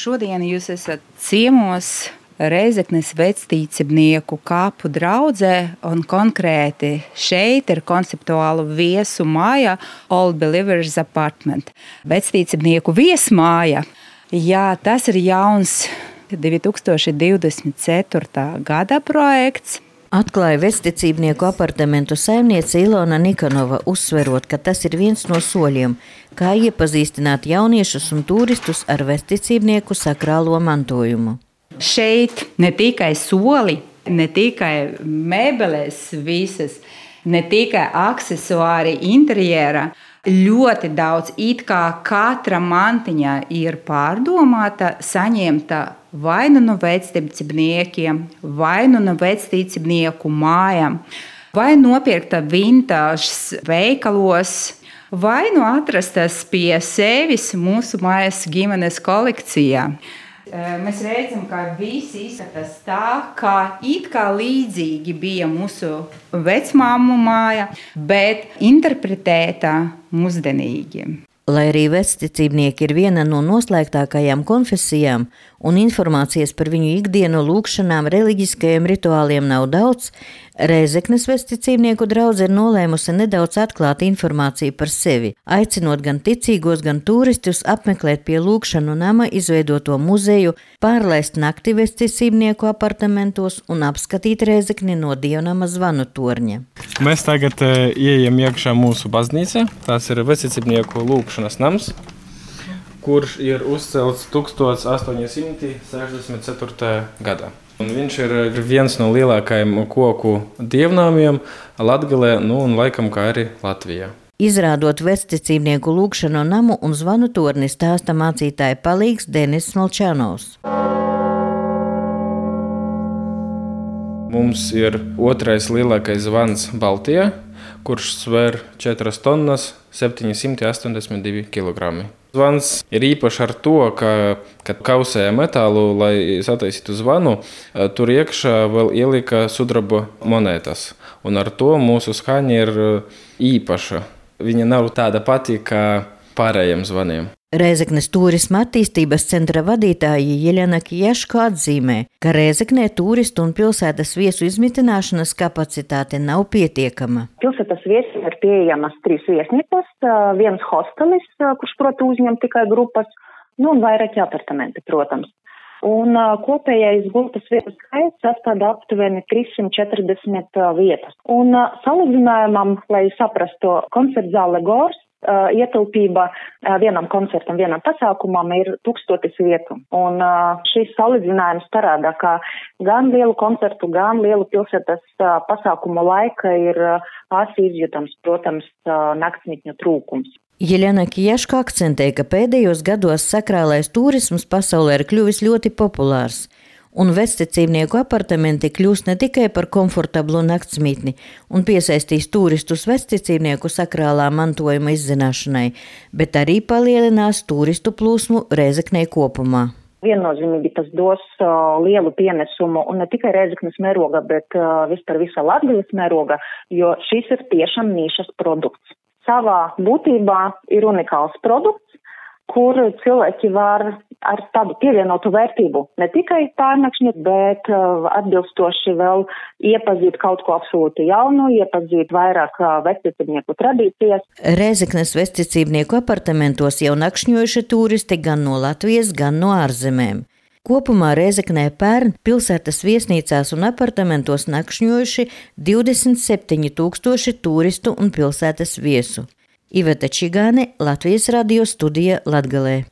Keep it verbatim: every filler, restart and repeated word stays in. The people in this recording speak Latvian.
šodien jūs esat ciemos Rēzeknes vectīcibnieku kapu draudzē, un konkrēti šeit ir konceptuālu viesu māja Old Believers Apartment. Vectīcibnieku viesmāja, jā, tas ir jauns divi tūkstoši divdesmit ceturtā gada projekts. Atklāja vecticībnieku apartamentu saimniece Ilona Nikanova, uzsverot, ka tas ir viens no soļiem, kā iepazīstināt jauniešus un turistus ar vecticībnieku sakrālo mantojumu. Šeit ne tikai soli, ne tikai mēbeles visas, ne tikai aksesuāri interjera, ļoti daudz, it kā katra mantiņa ir pārdomāta, saņemta vai nu no vecticībniekiem, vai nu no vecticībnieku mājām, vai nopirkta vintāžas veikalos, vai nu atrastas pie sevis mūsu mājas ģimenes kolekcijā. Mēs redzam, ka visi izskatās tā, kā it kā līdzīgi bija mūsu vecmāmu māja, bet interpretēta mūsdienīgi. Lai arī vecticībnieki ir viena no noslēgtākajām konfesijām un informācijas par viņu ikdienu lūgšanām reliģiskajiem rituāliem nav daudz, Rēzeknes vecticībnieku draudze ir nolēmusi nedaudz atklāt informāciju par sevi, aicinot gan ticīgos, gan turistus apmeklēt pie lūgšanu nama izveidoto muzeju, pārlaist nakti vecticībnieku apartamentos un apskatīt Rēzekni no dievnama zvanu torņa. Mēs tagad e, ieejam iekšā mūsu baznīca. Tas ir vecticībnieku lūgšanas nams, kurš ir uzcelts tūkstoš astoņi simti sešdesmit ceturtajā gadā. Un viņš ir viens no lielākajiem koku dievnāmiem Latgalē, nu un laikam kā arī Latvijā. Izrādot vecticībnieku lūgšanu namu un zvanu torni, stāsta mācītāja palīgs Denis Smolčanovs. Mums ir otrais lielākais zvans Baltijā, kurš sver četras tonnas septiņsimt astoņdesmit divi kilogrami. Zvans ir īpašs ar to, ka, kad kausēja metālu, lai sataisītu zvanu, tur iekšā vēl ielika sudraba monētas. Un ar to mūsu skaņa ir īpaša. Viņa nav tāda pati kā pārējiem zvaniem. Rēzeknes turisma attīstības centra vadītāja Jeļena Kijaško atzīmē, ka Rēzeknē turistu un pilsētas viesu izmitināšanas kapacitāte nav pietiekama. Pilsētas viesiem ir pieejamas trīs viesnīcas, viens hostelis, kurš, protams, uzņem tikai grupas, nu un vairāki apartamenti, protams. Un kopējais gultas vietu skaits sastāv aptuveni trīssimt četrdesmit vietas. Un salīdzinājumam, lai saprastu, koncertzāle Gors, ietilpība vienam koncertam, vienam pasākumam ir tūkstotis vietu. Un šis salīdzinājums parāda, ka gan lielu koncertu, gan lielu pilsētas pasākumu laika ir asi izjūtams, protams, naktsmītņu trūkums. Jeļena Kijaško akcentē, ka pēdējos gados sakrālais turisms pasaulē ir kļuvis ļoti populārs. Un vecticībnieku apartamenti kļūst ne tikai par komfortablu naktsmītni un piesaistīs turistus vecticībnieku sakrālā mantojuma izzināšanai, bet arī palielinās turistu plūsmu Rēzeknē kopumā. Viennozīmīgi tas dos uh, lielu pienesumu un ne tikai Rēzeknes mēroga, bet uh, vispār visa Latgales mēroga, jo šis ir tiešām nišas produkts. Savā būtībā ir unikāls produkts, kur cilvēki var ar tādu pievienotu vērtību ne tikai pārnakšņi, bet uh, atbilstoši vēl iepazīt kaut ko absolūti jaunu, iepazīt vairāk uh, vecticībnieku tradīcijas. Rēzeknes vecticībnieku apartamentos jau nakšņojuši turisti gan no Latvijas, gan no ārzemēm. Kopumā Rēzeknē pērn pilsētas viesnīcās un apartamentos nakšņojuši divdesmit septiņi tūkstoši turistu un pilsētas viesu. Iveta Čigāne, Latvijas radio studija Latgalē.